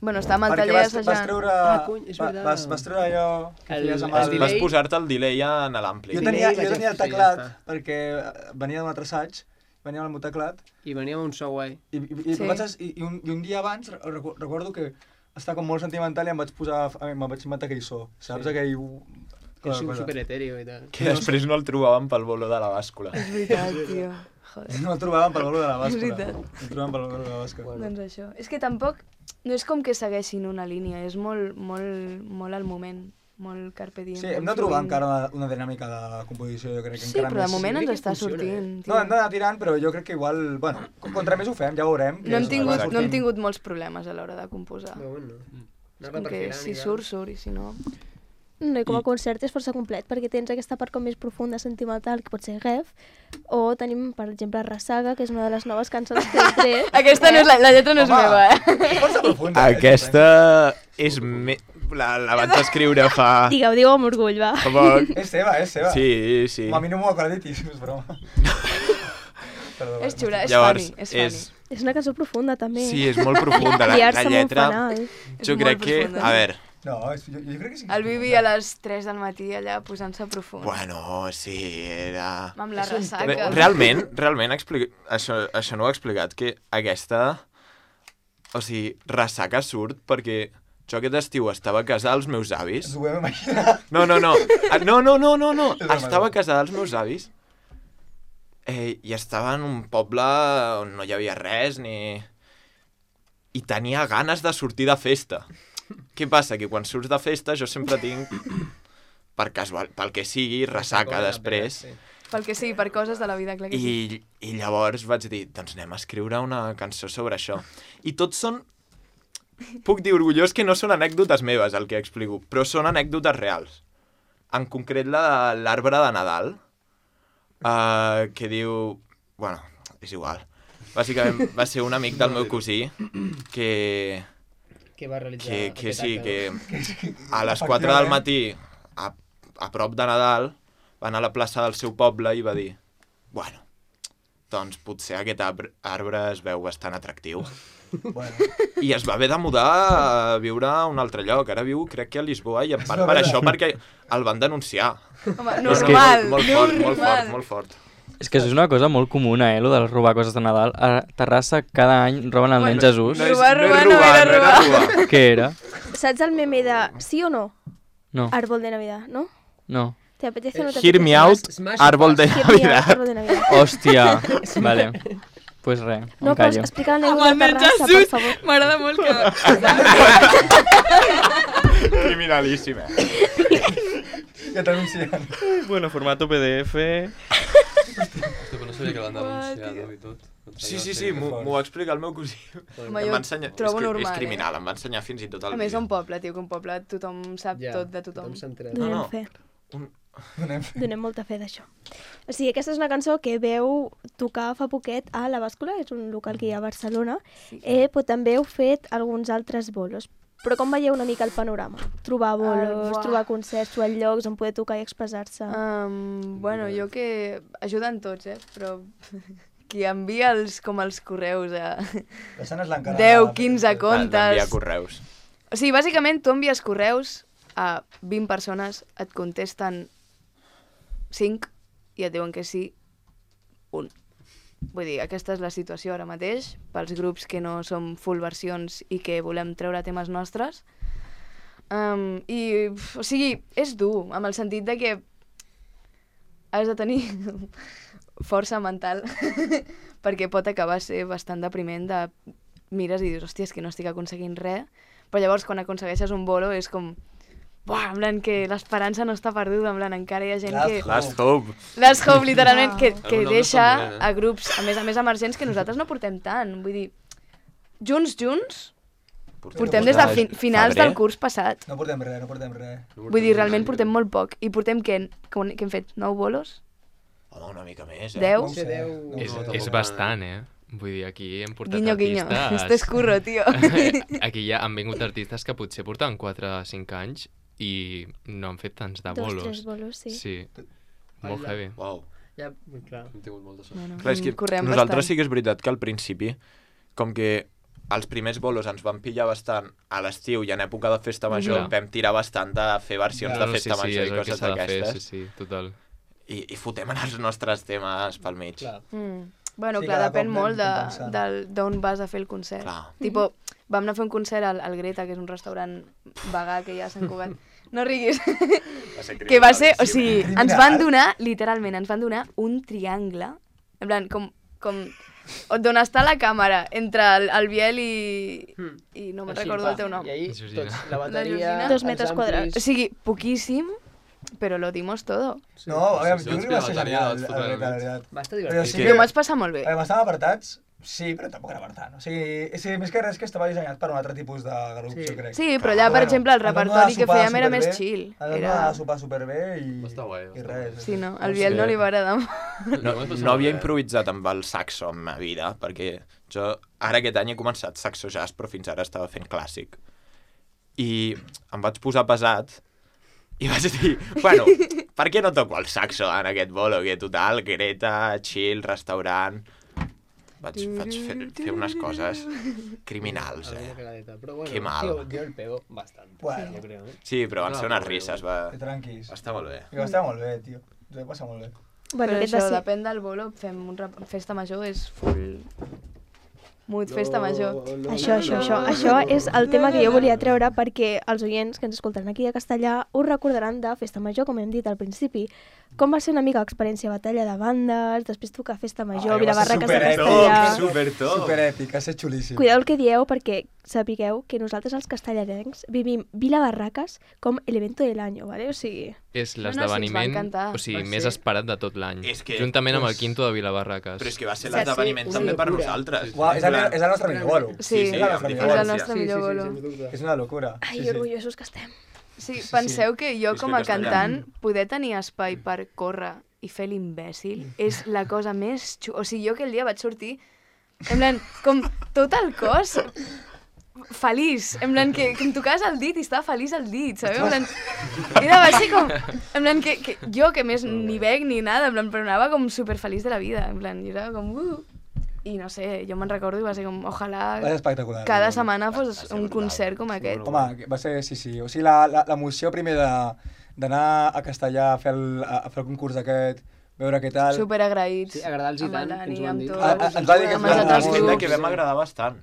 Bueno, està amb el Perquè taller vas, vas assajant. treure... Ah, cony, és va- veritat. vas, vas treure allò que El- feies amb el el... delay. Vas posar-te el delay en l'ampli. Jo Delay tenia, vaig jo tenia el fer, ja teclat, està. perquè eh, venia d'un altre assaig, venia amb el meu teclat, I venia amb un so guai. i, i, i, Sí. vaig, es- i, i, un, i un dia abans recu- recordo que estava com molt sentimental i em vaig posar, a mi, me'n vaig inventar aquell so, saps? Sí. Aquell... Que és un super etèreo i tal. Que després no el trobàvem pel bolo de la bàscula. És veritat, tio. Joder. No el trobàvem pel valor de la bàscula. És veritat. No el trobàvem pel valor de la bàscula. Bueno. Doncs això. És que tampoc... No és com que segueixin una línia, és molt, molt, molt al moment, molt carpe diem. Sí, hem de molt trobar fluint. encara una, una dinàmica de composició, jo crec que Sí, encara però de més... moment crec ens que està funciona, eh? sortint. No, hem d'anar tirant, però jo crec que igual... Bueno, contra més ho fem, ja veurem. que No hem, és- tingut, Exacte. no hem tingut molts problemes a l'hora de composar. Però bueno. És Anar-la com que perfilant si i tal. surt, surt, i si no... No, i com a I- concert és força complet, perquè tens aquesta part com més profunda, sentimental, que pot ser Rêve, o tenim, per exemple, Rassaga, que és una de les noves cançons que he tret. Aquesta no és la, la lletra no és Home. meva, eh? És força profunda. eh? Aquesta és... Me... la, la vaig escriure fa... Digueu, digueu amb orgull, va. Fa poc. És seva, és seva. Sí, sí. Com a mi no m'ho acreditis, és broma. Perdó, És xula, és Llavors, funny, és funny. és... És una cançó profunda, també. Sí, és molt profunda. La, Guiar-se la amb un lletra, fanal. jo És crec molt que... profunda. A veure, No, és, jo, jo crec que sí. que El és Vivi a les tres del matí allà posant-se profund. bueno, sí, era... Amb la És un ressaca. Re realment, realment, explica... això, això no ho he explicat, que aquesta... O sigui, ressaca surt perquè jo aquest estiu estava a casa dels meus avis. Ens ho vam imaginar. No, no, no. Ah, No, no, no, no, no. És broma, Estava a és casa dels meus avis eh, i estava en un poble on no hi havia res ni... I tenia ganes de sortir de festa. Què passa? Que quan surts de festa jo sempre tinc, per casual, pel que sigui, ressaca després. Pel que sigui, per coses de la vida, clar que sí. I, I llavors vaig dir, doncs anem a escriure una cançó sobre això. I tots són... Puc dir orgullós que no són anècdotes meves el que explico, però són anècdotes reals. En concret la de l'arbre de Nadal, uh, que diu... Bueno, és igual. Bàsicament va ser un amic del meu cosí que... Que va realitzar que, que aquest sí, acte, que a les quatre del matí, a, a prop de Nadal, va anar a la plaça del seu poble i va dir bueno, doncs potser aquest arbre, arbre es veu bastant atractiu. Bueno. I es va haver de mudar a viure a un altre lloc. Ara viu, crec que a Lisboa, i en part per això, perquè el van denunciar. Home, No, no, normal, molt, molt fort, molt normal. fort, molt fort. És que això és una cosa molt comuna, eh, lo de robar coses de Nadal. A Terrassa cada any roben el nen Bueno, Jesús. No és, Robar, no és robar, no robar, era no era robar. Què era? Saps el meme de sí o no? No, Árbol de Navidad, ¿no? no. ¿Te apetece o no te Hear me apetece? out, Smash árbol de Hear me out, Navidad. árbol de Navidad. Hòstia, vale. Pues res, No, em però callo. explica Amb l'anècdota el de nen Terrassa, per Jesús, favor. m'agrada molt que... Criminalíssim, eh? Que t'anuncien. Bueno, formato P D F... Hòstia, però no sabia que l'han denunciat i tot. Sí, sí, sí, m'ho m'ho va explicar el meu cosí. Home, Em jo va ensenyar... trobo és, que, normal, és eh? criminal, em va ensenyar fins i tot el A més, vídeo. un poble, tio, que un poble tothom sap Ja, tot de tothom. s'ha enterat. No, Donem no. fe. Un... Donem. Donem molta fe d'això. O sigui, aquesta és una cançó que veu tocar fa poquet a La Bàscula, és un local que hi ha a Barcelona, Sí. eh, però també heu fet alguns altres bolos. Però com veieu una mica el panorama? Trobar bolos, buah. trobar concerts, trobar llocs on poder tocar i expressar-se. Um, bueno, jo que... Ajuden tots, eh? Però qui envia els, com els correus a Deixant és l'encarregada. deu, quinze Val, comptes... d'enviar correus. O sigui, bàsicament, tu envies correus a vint persones, et contesten cinc i et diuen que sí, un. Vull dir, aquesta és la situació ara mateix, pels grups que no som full versions i que volem treure temes nostres. Um, I, o sigui, és dur, amb el sentit de que has de tenir força mental perquè pot acabar ser bastant depriment de mires i dius, hòstia, és que no estic aconseguint res, però llavors quan aconsegueixes un bolo és com, buah, en plan que l'esperança no està perduda, en plan encara hi ha gent Last que... hope. Last hope. Last Hope, literalment, que, que Algun nom deixa està molt bé, eh? a grups, a més a més emergents, que nosaltres no portem tant. Vull dir, junts, junts, portem des de fi finals Febrer. del curs passat. No portem res, no portem res. Vull dir, realment portem molt poc. I portem, què? Que, que hem fet? Nou bolos? Home, una mica més, eh? Deu? No ho sé, Deu. no ho És, sé. és bastant, eh? Vull dir, aquí hem portat Guinyo, guinyo. artistes... Esto es curro, tio. Aquí ja han vingut artistes que potser portaven quatre o cinc anys i no han fet tants de Dos, bolos. tres bolos, sí. Sí, molt Hola. heavy. Uau. Ja, clar. Hem tingut molta sort. Bueno, Clar, és que correm nosaltres bastant. sí que és veritat que al principi, com que els primers bolos ens van pillar bastant a l'estiu i en època de festa major, Clar. vam tirar bastant de fer versions Ja. de No, no, festa sí, sí, major és i el que coses s'ha de fer, d'aquestes. sí, sí, total. I, I fotem en els nostres temes pel mig. Clar. Mm. Bueno, Sí, clar, cada depèn cop molt de- anem compensant. del- d'on vas a fer el concert. Clar. Tipo, vam anar a fer un concert al, al Greta, que és un restaurant vegà que hi ha a Sant Cugat. No riguis. Va ser Que va ser, o criminalíssim. sigui, Criminal. ens van donar, literalment, ens van donar un triangle, en plan, com, com d'on està la càmera, entre el, el Biel i, Hmm. i no me'n Així, recordo va. el teu nom. I ahí, Georgina. tots, la bateria, Georgina. Dos els metres amplis... quadrats. O sigui, poquíssim, però lo dimos todo. No, a veure, Sí, jo sí, crec que va ser la bateria genial, la vaig el fotre Greta, la al mig. veritat. Va estar Però divertit. sí Sí. que... Jo m'ho vaig passar molt bé. Eh, estàvem apartats, sí, però tampoc era apartat. O sigui, és, més que res que estava dissenyat per un altre tipus de grup, Sí. jo crec. Sí, però allà, per exemple, el repertori que fèiem era més chill. Ens vam Era... anar a sopar superbé i, Va estar guai, va i estar res. guai. Sí, no? No Al Biel sé. no li va agradar. No, no havia improvisat amb el saxo en ma vida, perquè jo ara aquest any he començat saxo jazz, però fins ara estava fent clàssic. i em vaig posar pesat i vaig dir, bueno, per què no toco el saxo en aquest bolo? Que total, Greta, chill, restaurant... Vaig, vaig fer, fer unes coses criminals, eh? Però bueno, que mal. Yo, yo el pego bastante, Bueno. yo creo. ¿eh? Sí, però van No, ser unes però risses, va... Que tranquis. va estar molt bé. I va estar molt bé, tio. Ens ho vam passar molt bé. Bueno, Però aquest això, va ser... depèn del bolo, fem un rap... festa major, és full... Mood festa major. Això, això, això. Això és el tema que jo volia treure perquè els oients que ens escoltaran aquí a Castellà us recordaran de Festa Major, com hem dit al principi. Com va ser una mica l'experiència batalla de bandes, després tocar Festa Major, Vilabarraques de Castellà... Supertop! Superèpic, ha estat xulíssim. Cuideu el que dieu perquè sapigueu que nosaltres els castellarencs vivim Vilabarraques com el evento de l'any, ¿vale? O sigui... És No, no, sí, ens va l'esdeveniment encantar. o sigui, Va més ser- esperat de tot l'any. És que, Juntament amb el pues, quinto de Vilabarraques. Però és que va ser Sí, l'esdeveniment sí, també una per locura. nosaltres. Uau, és, el, és el nostre millor bolo. Sí, sí, és el amb nostre és millor el bolo. nostre millor bolo. És una locura. Ai, Sí, sí. orgullosos que estem. Sí, sí. penseu que jo Visca com a Castellà. cantant poder tenir espai per córrer i fer l'imbècil és la cosa més xu... O sigui, jo aquell dia vaig sortir en plan, com tot el cos feliç, en plan que, que em tocaves el dit i estava feliç el dit, sabeu? En plan, era, va ser com, en plan que, que jo que més ni bec ni nada, en plan, però anava com superfeliç de la vida, en plan, jo era com... Uh, i no sé, jo me'n recordo i va ser com, ojalà Va ser espectacular. cada no? setmana fos ser un brutal. concert com aquest. Home, que va ser, sí, sí. O sigui, la- la- l'emoció primer de- d'anar a Castellà a fer el, a, a fer el concurs aquest, veure què tal... Super agraïts. Sí, agradar-los i amb el tant, Dani, ens ho van amb dir. tots, Ah, ah, ens va dir que amb ens els va- altres ah, Sembla grups. que vam agradar bastant.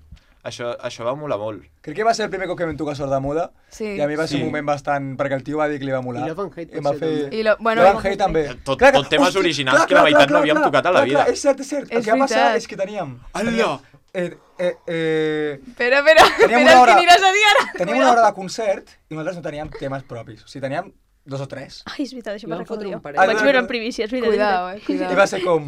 Això, això va molar molt. Crec que va ser el primer cop que vam tocar Sord de Muda Sí. i a mi va ser Sí. un moment bastant... perquè el tio va dir que li va molar. I Love and Hate I em va potser fer... també. I lo, bueno, Love and Hate també. Tot- Clar, tot temes hosti, originals que la meitat no havíem tocat a la clar, vida. Clar, és cert, és cert. El És que va passar veritat. és que teníem... Hola! Eh, eh, eh, Espera, espera, Teníem espera, una és hora- que aniràs a dir ara. teníem una hora de concert i nosaltres no teníem temes propis. O sigui, teníem dos o tres. Ai, és veritat, això I me'n vam fotre recordo un jo. parell. Ah, Vaig no, veure no. en primícia, és veritat. Cuidao, eh, I cuidao. va ser com,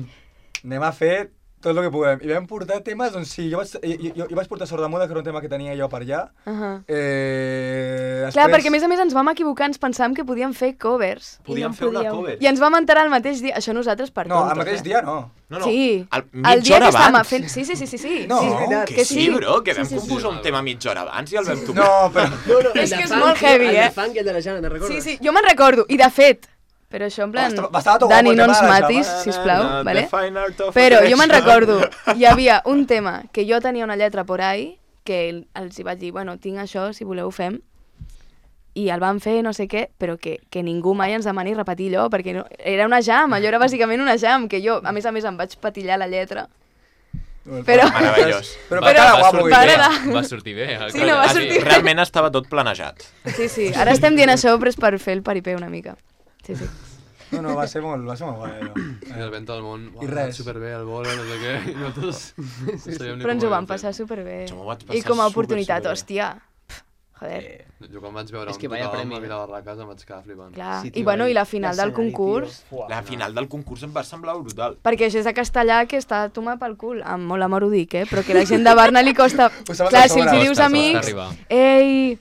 anem a fer tot el que puguem. I vam portar temes, doncs sí, jo vaig, jo, jo, jo vaig portar Sord de Muda, que era un tema que tenia jo per allà. Uh -huh. Eh, després... Clar, perquè a més a més ens vam equivocar, ens pensàvem que podíem fer covers. Podíem no fer una podíeu. cover. I ens vam enterar el mateix dia, això nosaltres per No, tontos, el mateix eh? dia no. No, no, Sí, el, el mitja dia hora que estàvem abans. fent... Sí, sí, sí, sí, sí. No, sí. Que, que sí, sí. bro, que vam Sí, sí, sí. composar un tema mitja hora abans i el vam tocar. No, però... No, no, És el que de és molt funk, heavy, el eh? de funk i el de la Jana, te'n recordes? Sí, sí, jo me'n recordo. I de fet, però això en plan... Estava- estava tot Dani, guapo el no tema ens de la matis, Java. sisplau, The vale? fine art of Però jo me'n attraction. recordo, hi havia un tema que jo tenia una lletra por ahí, que els hi vaig dir, bueno, tinc això, si voleu ho fem, i el van fer, no sé què, però que, que ningú mai ens demani repetir allò, perquè no, era una jam, allò era bàsicament una jam, que jo, a més a més, em vaig patillar la lletra. Però- Meravellós. Però, Va, però, va, va, guapo, sortir i bé, Para. va sortir bé. el Sí, que- no, va Ah, sortir bé. Realment estava tot planejat. Sí, sí, ara estem dient això, però és per fer el paripé una mica. Sí, sí. No, no, va ser molt, va ser molt guai, allò. I el vent al món, I uau, res. superbé, el bolo, no sé què, i nosaltres no sabíem ni Però ens com ho vam havíem fet. passar superbé. Jo m'ho vaig I passar com a super, oportunitat, superbé. hòstia, pf, joder, Jo quan vaig veure És on que vaya tocàvem premi, a eh? Vilabarraques em vaig quedar flipant. clar. Sí, I tio, bueno, el- i la final del l'escenari, concurs, tio. Fuà. La final del concurs em va semblar brutal. perquè això és de castellà que està a tomar pel cul, amb molt amor ho dic, eh? Però que la gent de Barna li costa... Ho saps Clar, a si els sobre. hi dius Costa, amics, costa arribar. ei,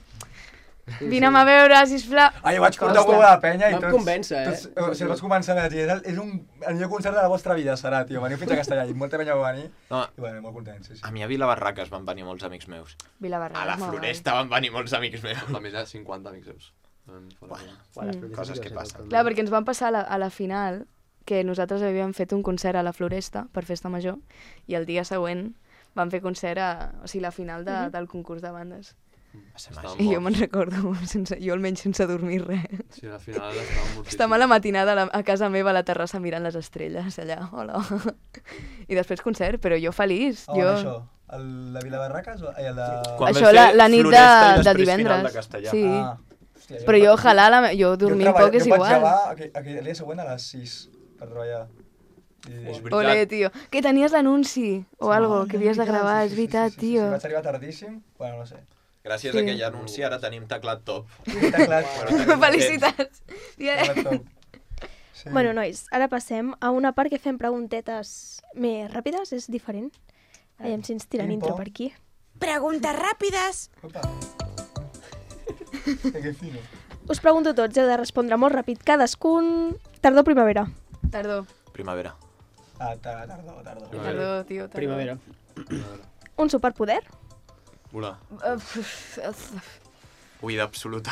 vine'm a veure, sisplau... Ah, jo vaig portar Costa. un de penya i Vam tots... convèncer, eh? Tots, o sigui, vaig començar a dir, és, el, és un, el millor concert de la vostra vida serà, tio. Veniu fins a Castellà i molta penya va venir. No, I bueno, molt contents, sí, sí. a mi a Vilabarraques van venir molts amics meus. Vilabarra, A la Floresta van venir molts amics meus. La meva, cinquanta amics seus. Bueno, Bueno, Uà, les Mm. flores Coses sí que ho sé passen. tot, també. Clar, perquè ens van passar a la, a la final que nosaltres havíem fet un concert a la Floresta per Festa Major i el dia següent vam fer concert a... O sigui, la final de, del concurs de bandes. Va ser Estàvem màgic. I jo me'n recordo, sense, jo almenys sense dormir res. Sí, al final estàvem mortíssims. Estàvem a la matinada a, la, a casa meva a la terrassa mirant les estrelles allà, hola. I després concert, però jo feliç. On jo... això? El de Vilabarraques o el de... Quan Això vam la, fer la nit de, Floresta i de després divendres. final de Castellà. Sí. Ah, hòstia, Però jo, ojalà, la, me- jo dormint jo poc és jo vaig igual. llevar aquell, aquell dia següent a les sis per treballar. I... És veritat. Ole, tio. Que tenies l'anunci o algo que havies de gravar, és veritat, sí, sí, sí, tio. Sí, vaig arribar tardíssim, bueno, no sé. Gràcies Sí. a aquell anunci ara tenim teclat top. Està clar. Felicitats. Yeah. Està top. Sí. Bueno, nois, ara passem a una part que fem preguntetes més ràpides, és diferent. Aviam si ens tiren Pim, intro pom. per aquí. Preguntes ràpides. Opa. Que fino. Us pregunto tots, heu de respondre molt ràpid. Cadascun... Tardor o primavera? Tardor, Primavera. Ah, tardor, tardor, tardor. tardor, tio, tardor. Primavera. Un superpoder? Volar. Uf, uf, Oïda absoluta.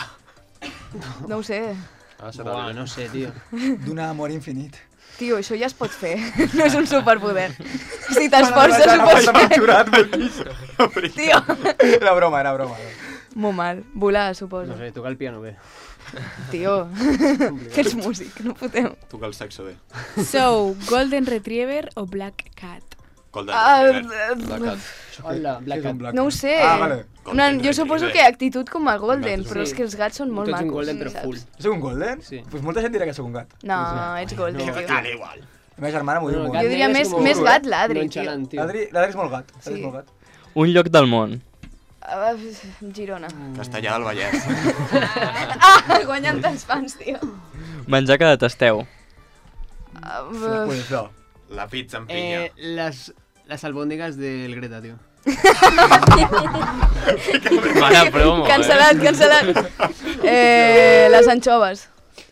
No ho sé. Ah, Buah, no sé, tio. D'un amor infinit. Tio, això ja es pot fer. No és un superpoder. Si t'esforces ho pots fer. Tio. Era broma, era broma. Molt mal. Volar, suposo. No sé, tocar el piano bé. Tio, que ets músic, no fotem. Tocar el saxo bé. So, Golden Retriever o Black Cat? Golden Ah, Retriever. Black Cat. Hola, Black Cat. No ho sé. Ah, vale. Una, jo suposo que actitud com a Golden, Sí. però és que els gats són molt Tu ets macos. un Golden, però saps? full. Soc un golden? Sí. Pues molta gent dirà que soc un gat. No, ets Golden, No, tio. Dale, igual. La meva germana m'ho diu No, molt. gat Jo diria negre és més, com més un gat l'Adri, tio. nonchalant, tio. L'Adri l'Adri és molt gat. L'Adri Sí. és molt gat. Un lloc del món. Ah, Girona. Castellà del Vallès. Ah, guanyant tants fans, tio. Menjar que detesteu. Ah, Pues no. La pizza amb pinya. Eh, les, les albòndigues del Greta, tio. Mare promo, eh? Cancel·lat, cancel·lat. Eh, les anxoves.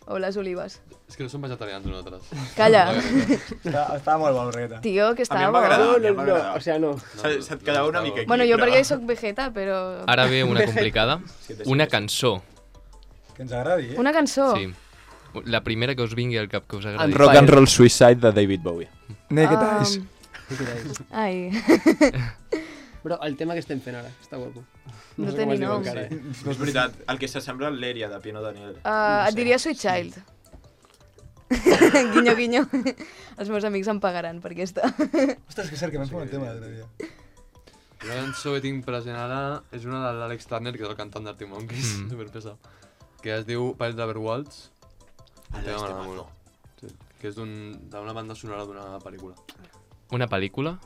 O les olives. És que no som vegetarians nosaltres. Calla. Estava, estava molt bo, el Regueta. Tio, que A mi estava em va bo. agradar, a mi No, em no, va no, agradar. o sea, no. Se- Se't quedava una mica aquí, Bueno, jo però- perquè soc vegeta, però... Ara ve una complicada. Una cançó. Que ens agradi, eh? Una cançó. Sí. La primera que us vingui al cap que us agradi. Rock and Roll Suicide de David Bowie. Naked Um, Eyes. Ai. Però el tema que estem fent ara, està guapo. No sé té com ni es diu nom. encara, eh? No és veritat, el que s'assembla a l'Èria de Piano Daniel. Uh, et diria Sweet Child. Guinyo, guinyo. Els meus amics em pagaran per aquesta. Ostres, que cert, que vam fer un tema l'altre dia. La cançó que tinc present ara és una de l'Àlex Turner, que és el cantant d'Arctic Monkeys, Mm. superpesat, que es diu Pirates of the Waltz. Ah, Tema este m'agrada mazo. molt. Sí, que és d'un- d'una banda sonora d'una pel·lícula. Una pel·lícula?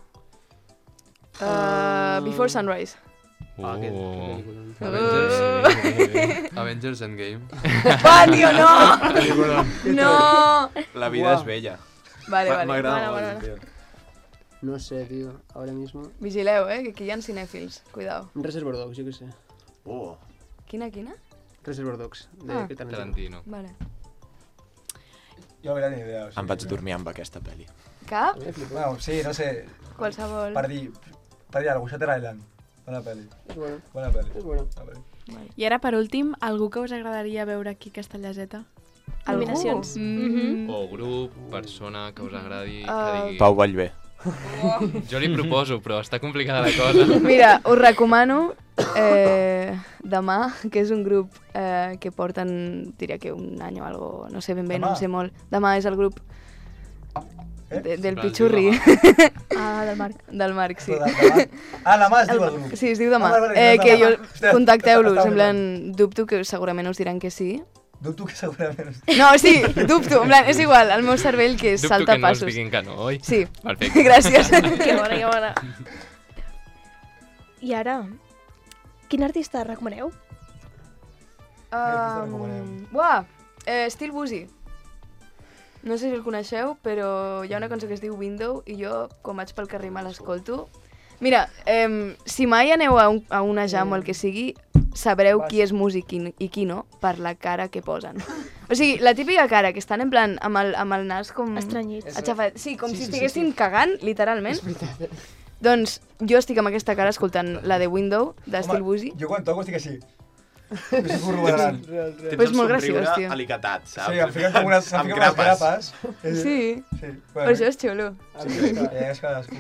Uh, Before Sunrise. Ah, aquest, Oh. aquesta pel·lícula. Uh. Avengers, Avengers Endgame. Va, tio, no! No! La vida és bella. Vale, Ma- vale. M'agrada Bueno, molt, bueno, tio. No sé, tio, ahora mismo... Vigileu, eh, que aquí hi ha cinèfils. Cuidao. Reservoir Dogs, jo què sé. Oh. Quina, quina? Reservoir Dogs, de Ah. Tarantino. Tarantino. Vale. Jo no ni idea. O sigui, Em vaig dormir amb aquesta pel·li. Cap? Bueno, sí, no sé. Qualsevol. Per dir, per dir alguna cosa, Shutter Island. Bona pel·li. És bueno, Bona pel·li. és bueno. Bona pel·li. I ara, per últim, algú que us agradaria veure aquí a Castellaseta? Algú? Nominacions. Mm. O grup, persona que us agradi, que Uh, digui... Pau Vallvé. Jo li proposo, però està complicada la cosa. Mira, us recomano eh, Demà, que és un grup eh, que porten, diria que un any o algo, no sé ben bé, no Demà? en sé molt. Demà és el grup Eh? de, del Però es diu Pichurri, Ah, del Marc. del Marc, sí. Però de- demà- Ah, la mà es diu el grup. Sí, es diu Demà. Ah, vale, vale, Eh, no, que demà. jo, Hòstia, contacteu-los, està en molt plan, dubto que segurament us diran que sí. Dubto que segurament... No, sí, dubto, en plan, és igual, el meu cervell que Dubto salta que no us passos. diguin que no, oi? Sí, Perfecte. gràcies. Que bona, que bona. I ara, quin artista recomaneu? Um, Buah, eh, Still Boozy. No sé si el coneixeu, però hi ha una cançó que es diu Window i jo, quan vaig pel carrer, me l'escolto. Mira, eh, si mai aneu a, un, a una jam o el que sigui, sabreu qui és músic i, i qui no per la cara que posen. O sigui, la típica cara que estan en plan amb el, amb el nas com... Estranyits. Aixafat. Sí, com Sí, si sí, sí, estiguessin sí. cagant, literalment. Doncs jo estic amb aquesta cara escoltant la de Window, de Still Boozy. Jo quan toco estic així. Que si furro balant. Tens Però és el molt somriure graciós, tio. alicatat, saps? Sí, em fiquen com unes, em Amb fiquen unes grapes. grapes. Sí, Sí. per això és xulo. Sí, és cadascú.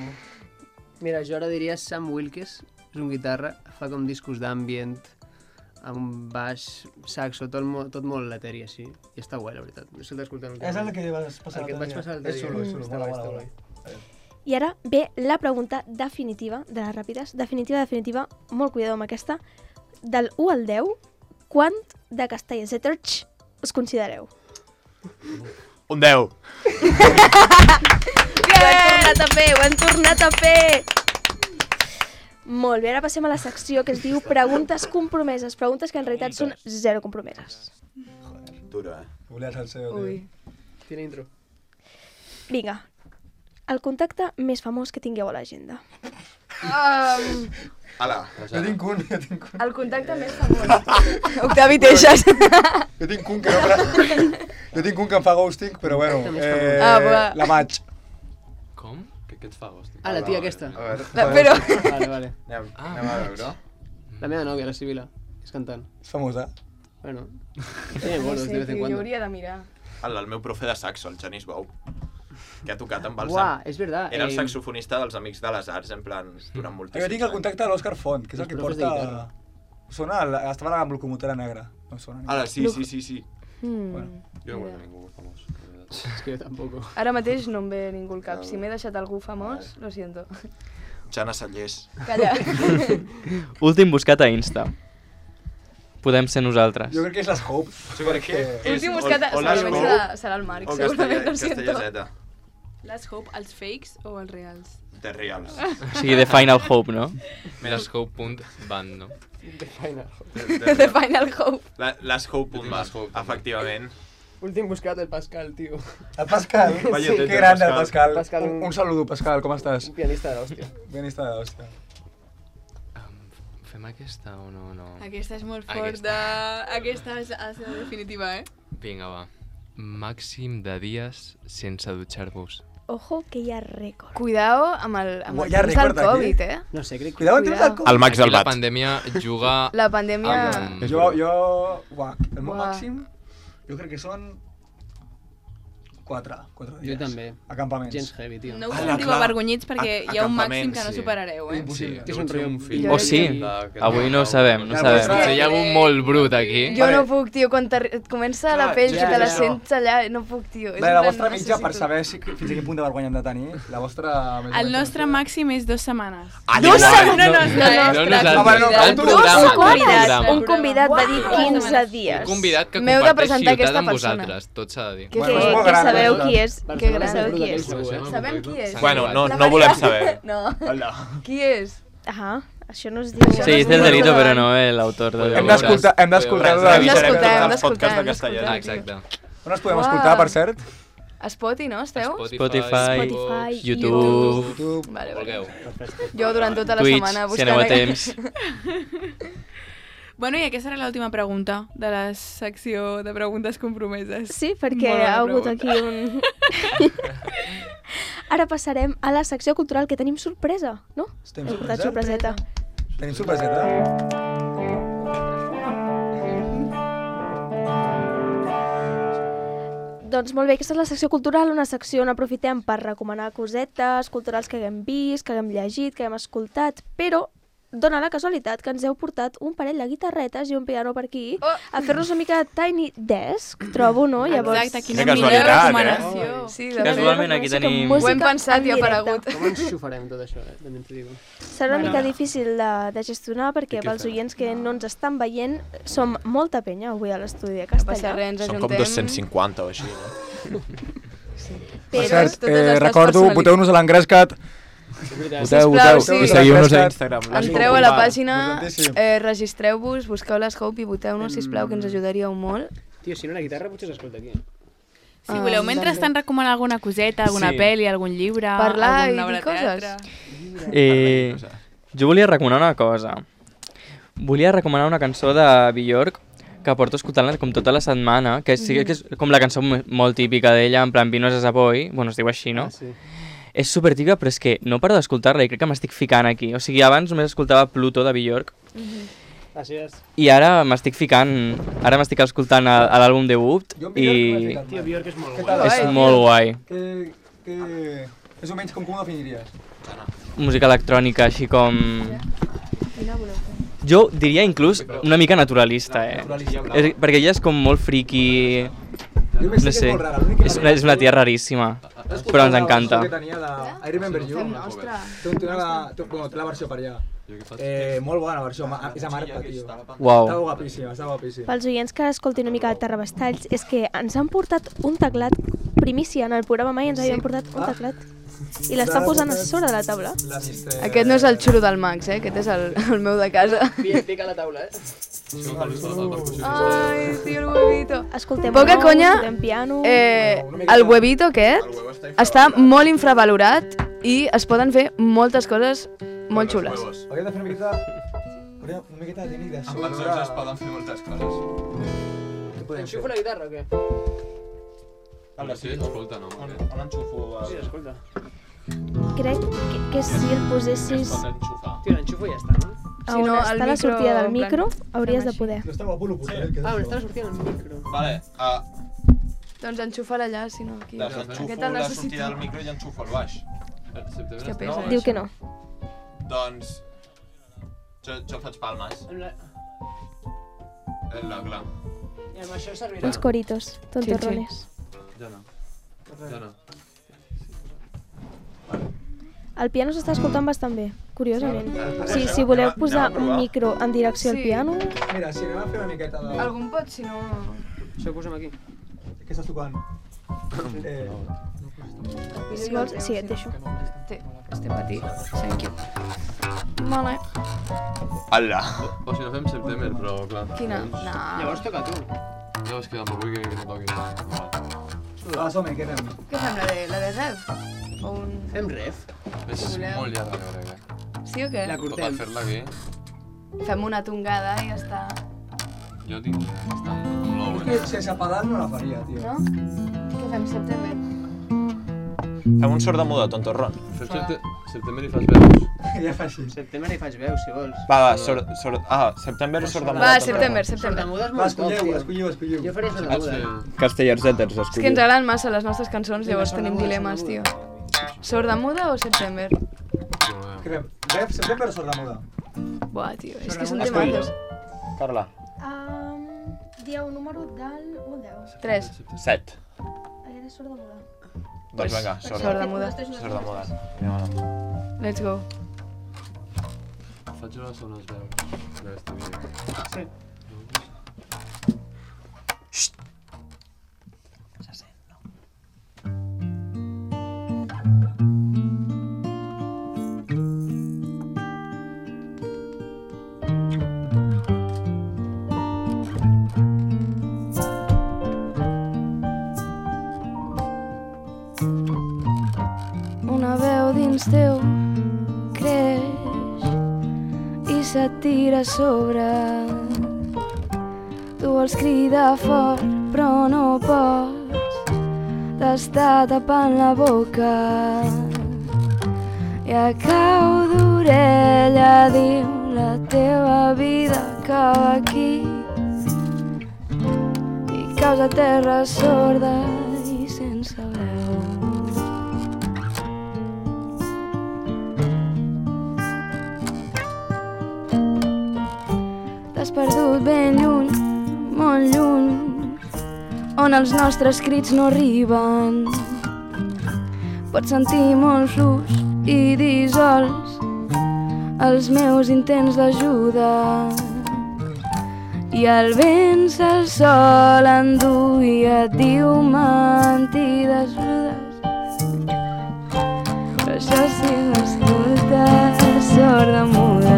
Mira, jo ara diria Sam Wilkes, és un guitarra, fa com discos d'ambient, amb un baix, saxo, tot, mo tot molt eteri així, i està guai, la veritat. No sé si l'escoltem. És el que vas passar El que et vaig passar l'altre És dia. xulo, és xulo. Està Mola, guai, mola, està mola. I ara ve la pregunta definitiva, de les ràpides, definitiva, definitiva, molt cuidado amb aquesta. Del u al deu, quant de Castellsetterch us considereu? Un deu. Ho hem tornat a fer, ho hem tornat a fer! Molt bé, ara passem a la secció que es diu preguntes compromeses, preguntes que en realitat són zero compromeses. Duro, eh? Volia salseo, tio. Ui. Tiene intro. Vinga, el contacte més famós que tingueu a l'agenda. Um, Ala. Jo tinc un, jo tinc un. el contacte més famós. Octavi Teixas. Jo tinc un que no... pra- Jo tinc un que em fa ghosting, però bueno, eh, Ah, va. la maig. Com? Què, què et fa, hosti? Ah, la tia aquesta. A veure, La- Però... Vale, vale. anem, Ah, anem a veure. La meva nòvia, la Sibila. És cantant. És famosa. Bueno, tiene bolos de vez en Jo cuando. hauria de mirar. El, el meu profe de saxo, el Genís Bou, que ha tocat amb el Uah, Sam. és verdad. Era el eh, saxofonista dels Amics de les Arts, en plan, durant Jo moltíssims tinc el contacte de l'Òscar Font, que és el Els que profes de porta... guitarra. Sona, el- estava amb locomotora negra. No sona. Ara, sí, sí, sí, sí. Mm. Bueno. Jo no conec ningú famós. És que jo tampoc. Ara mateix no em ve ningú al cap. Si m'he deixat algú famós, lo siento. Jana Sallés. Calla. Últim buscat a Insta. Podem ser nosaltres. Jo crec que és les Hope. Jo crec que és... Últim buscat, o- o les segurament Hope serà, serà el Marc, o segurament, Castella- lo siento. Castellaseta. Les Hope, els fakes o els reals? De reals. O sigui, The Final Hope, no? Les Hope.band, no? The Final. The Final Hope. La, les Hope punt Les Hope, efectivament. Últim buscat el Pascal, tio. El Pascal. Vaya Sí, teta, que grande el Pascal. Pascal. Pascal, un, un- un saludo, Pascal, com estàs? Un pianista de l'hòstia. Pianista de l'hòstia. Um, fem aquesta o no? no? Aquesta és molt Aquesta. forta. Aquesta és la seva definitiva, eh? Vinga, va. Màxim de dies sense dutxar-vos. Ojo, que hi ha rècord. Cuidao amb el, amb el Hi ha temps del rècord aquí? Covid, eh? No sé, crec que... Cuidado, tens el El Max Aquí del la Bat. pandèmia juga... La pandèmia... amb... Jo, jo... Uah, el meu Uah. màxim, jo crec que són... Quatre, quatre Jo dies. també. Acampaments. Gens heavy, tio. No us Ala, sentiu clar. avergonyits perquè A- hi ha un màxim acampaments, que no sí. superareu, eh? Impossible. És un rotllo un fill. O sí. Avui no ho sabem, no ho sabem. Potser hi ha algun molt brut aquí. Jo Vale. no puc, tio, quan t'arri- comença la Clar, pell ja, que te la ja. sents allà, no puc, tio. És La, en la plan, vostra mitja, per necessito. saber si, fins a quin punt de vergonya hem de tenir, la vostra... més o El menys, nostre no sé. màxim és dues setmanes. Ah, Dos igual. setmanes? No, no, No, no, no, No no, nosaltres, Ah, bueno, no, el tu- programa, un el convidat, programa. un convidat va dir Uau. quinze dies. Un convidat que M'heu de comparteix presentar ciutat aquesta amb persona. vosaltres, tot s'ha de dir. Que, Bueno, que, és molt que gran, sabeu eh? qui és, que Barcelona sabeu és qui brutal, és. segur, eh? Sabem qui és. Bueno, no, La no volem Maria. saber. No. Hola. Qui és? Ah, això no es diu. Sí, és del delito, però no l'autor del Hem delito. d'escoltar, hem d'escoltar... Hem de- d'escoltar, Revisarem hem tots els podcasts de d'escoltar, castellà. Ah, hem d'escoltar. exacte. On els podem Uau. escoltar, per cert? A Spotify, no, esteu? Spotify, Spotify, YouTube, YouTube. Vale, vale. Vulgueu. Jo durant tota la Twitch, setmana si buscant... aneu a aqu- temps. Bueno, i aquesta serà l'última pregunta de la secció de preguntes compromeses. Sí, perquè Molt bona ha hagut pregunta. aquí un... Ara passarem a la secció cultural, que tenim sorpresa, no? Tenim Hem portat sorpresa? sorpreseta. Tenim sorpreseta? Doncs molt bé, aquesta és la secció cultural, una secció on aprofitem per recomanar cosetes culturals que haguem vist, que haguem llegit, que haguem escoltat, però dona la casualitat que ens heu portat un parell de guitarretes i un piano per aquí Oh. a fer-nos una mica de Tiny Desk, trobo, no? Llavors, Exacte, quina Quina millor casualitat, eh? recomanació. Sí, de Casualment fet. aquí música- tenim- música Ho hem pensat en i ha directe. aparegut. Com ens xufarem tot això, eh? També t'ho digo. Serà una mica difícil de, de gestionar perquè què pels fem? oients que no ens estan veient som molta penya avui a l'estudi de No passa Castellà. res, ens Són com ajuntem. dos-cents cinquanta o així, no? Per Però cert, totes eh, les recordo, personalitats. voteu-nos a l'Engrescat. És veritat. Voteu, Sisplau, voteu. sí. I Seguiu-nos a l'Engrescat. Instagram. Entreu a la pàgina, Importantíssim. eh, registreu-vos, busqueu les Hope i voteu-nos, sisplau, que ens ajudaríeu molt. Tio, si no la guitarra potser s'escolta aquí. Si voleu, Ah, mentrestant, recomanar alguna coseta, alguna Sí. pel·li, algun llibre, Parlar alguna i obra dir de teatre. coses. Eh, jo volia recomanar una cosa. Volia recomanar una cançó de Björk que porto escoltant-la com tota la setmana, que sí que és com la cançó mo- molt típica d'ella, en plan Vinos a Savoy, bueno, es diu així, no? Ah, sí. És super típica, però és que no paro d'escoltar-la i crec que m'estic ficant aquí. O sigui, abans només escoltava Pluto de Björk Així és. i ara m'estic ficant, ara m'estic escoltant a, a l'àlbum debut Jo amb Björk i m'he ficat Tio, mai. Björk és molt Què guai. tal? és Guai, molt guai. Que, que... És o menys com com ho definiries? Música electrònica, així com... Jo diria inclús una mica naturalista, eh? És, perquè ella és com molt friki... Jo No m'estic que sé, és molt rara. l'únic que és una, és una tia raríssima, però ens encanta. Que tenia de I Remember You. Té, té, una, té, bueno, té la versió per allà. Eh, molt bona la versió, ma- és amarga, tio. Uau. Està guapíssima, està guapíssima. Pels oients que escoltin una mica de Terrabastalls, és que ens han portat un teclat primícia en el programa, mai ens havien portat un teclat. I l'estan posant a sobre de la taula. La mister... Aquest no és el xulo del Max, eh? Aquest és el, el meu de casa. Pica la taula, eh? Ai, tio, el huevito. Escoltem Poca nous, conya, escoltem piano... Eh, el huevito aquest està molt infravalorat i es poden fer moltes coses molt xules. Hauríem de fer una miqueta... Hauríem una miqueta de tècnic de so. Amb els ulls es poden fer moltes coses. Què podem fer? Enxufo la guitarra o què? Però sí, escolta, no? On, on enxufo? Sí, escolta. Crec que, que si el posessis... Es pot enxufar. Tio, l'enxufo i ja està, no? A Si on no, està el la micro, sortida del en plan, micro, hauries de així. poder. Està guapo lo portet, que és Ah, on això. està la sortida del micro. Vale, uh, Doncs enxufa-la allà, si no, aquí. desenxufo Aquest el la necessito. sortida del micro i enxufo el baix. Hòstia, pesa. Diu que no. Doncs... Jo, jo faig palmes. Amb la... Eh, La, clar. I amb això servirà. Uns coritos, tontorrones. Ja no. Ja no. El piano s'està escoltant bastant bé, curiosament. Sí, Si, si voleu anem a- posar anem a provar. un micro en direcció al Sí. piano... Mira, si anem a fer una miqueta de... Algun pot, si no... Això ho posem aquí. Què estàs tocant? Eh... Si vols, sí, et deixo. Té, este matí. Thank you. Vale. Ala. O, o si no fem September, però clar. Quina? Llavors, No. Llavors toca tu. llavors que em vull que, que no toqui. Vale. Va, som-hi, què fem? Què fem, la de, la de Rev? O un... Fem ref. És Si voleu. molt llarga, jo crec. eh. Sí o què? La Per cortem. fer-la aquí, Fem una tongada i ja està. jo tinc bastant low, Que eh? sense pedal no la faria, tio. No? Què fem, September? Fem un sord de muda, tontorron. Fem septe September i fas veus. Ja fa així. Setembre hi faig veu, si vols. Va, va, sord... sord... Ah, September, sord de muda. Va, tontorron. September, September. Sordamuda és Va, molt top, escolleu, tio. escolleu, escolleu. Jo faria Vaig sordamuda. fer... Castellers-etes, És que ens agraden massa les nostres cançons, Vinga, llavors sorda tenim muda, dilemes, sorda tio. Sorda muda o September? Què fem? Ref, sempre per sorda muda. Buah, tio, és que Sorda són muda, temazos. Carla. Um, dieu un número del u al deu. Tres. Set. Era sorda muda. Doncs vinga, sord, Sorda muda. sord de muda. Vinga, Let's go. Faig unes zones veus d'aquest vídeo. Sí. Una veu dins teu creix i se't tira a sobre. Tu vols cridar fort però no pots, t'està tapant la boca. I a cau d'orella diu la teva vida acaba aquí i caus a terra sorda i sense veu. T'has perdut ben lluny, molt lluny, on els nostres crits no arriben. Pots sentir molt fluix i dissolts els meus intents d'ajuda. I el vent se'l sol endú i et diu mentides rudes. Però això sí m'escoltes, sorda muda.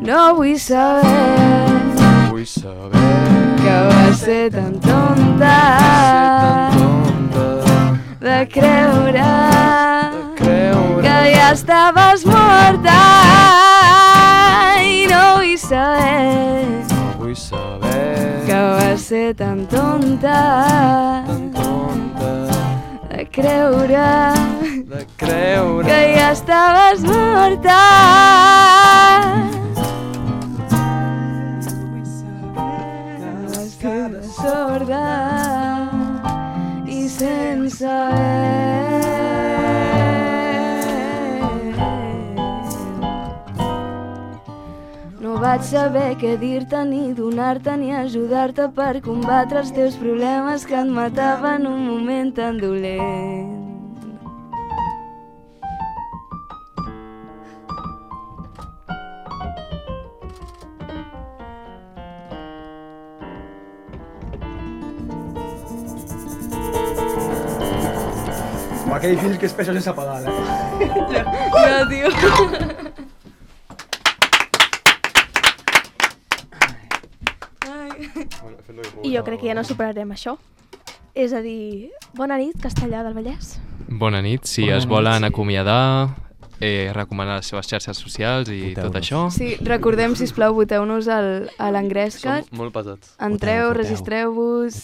No vull saber, Vull saber que vas ser tan tonta de creure que ja estaves morta. I no vull saber Vull saber que vas ser tan tonta de creure de creure que ja estaves morta. Queda sorda i sense no vaig saber què dir-te ni donar-te ni ajudar-te per combatre els teus problemes que et mataven un moment tan dolent. Home, que difícil que és per això sense pedal, eh? No, tio. I jo crec que ja no superarem això. És a dir, bona nit, Castellar del Vallès. Bona nit, si Bona es nit, volen sí. acomiadar, eh, recomanar les seves xarxes socials i tot això. Sí, recordem, sisplau, voteu-nos al, a l'Engresca. Som molt pesats. Entreu, Voteu, voteu. registreu-vos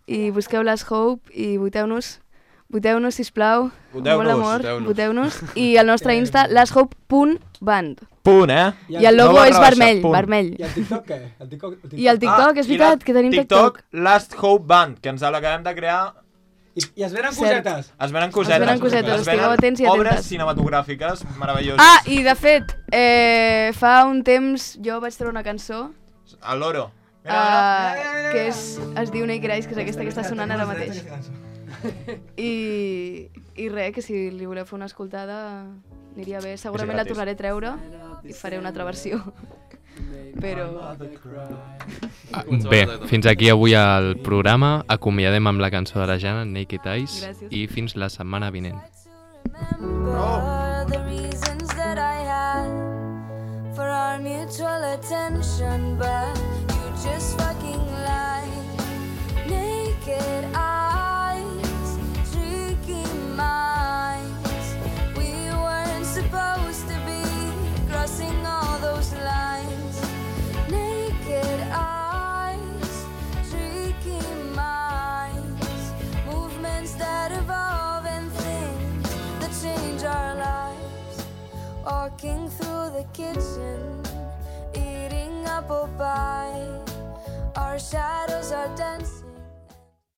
i busqueu les Hope i voteu-nos Voteu-nos, sisplau. Voteu-nos, Molt amor, voteu-nos. voteu-nos. I el nostre Insta, lasthope punt band. Punt, eh? I el logo No és barra baixa, vermell, punt. vermell. I el TikTok què? El TikTok, el TikTok. I el TikTok, és i veritat, la- que tenim TikTok. Last Hope Band, que ens l'acabem de crear. I, I es venen Cert. cosetes. Es venen cosetes. Es venen cosetes, Es estigueu venen atents i obres atentes. cinematogràfiques meravelloses. Ah, i de fet, eh, fa un temps jo vaig treure una cançó El loro. uh, que és, es diu Naked Eyes, que és aquesta que està sonant ara mateix. I, i res, que si li voleu fer una escoltada aniria bé. Segurament la gratis. tornaré a treure i faré una altra versió. Però... Ah, bé, fins aquí avui el programa. Acomiadem amb la cançó de la Jana, Naked Eyes, Gràcies. i fins la setmana vinent. Remember the reasons that I had for our mutual attention, but you just fucking lied. Naked eyes, tricky minds. We weren't supposed to be crossing all those lines. Naked eyes, tricky minds. Movements that evolve and things that change our lives. Walking through the kitchen, eating apple pie. Our shadows are dancing.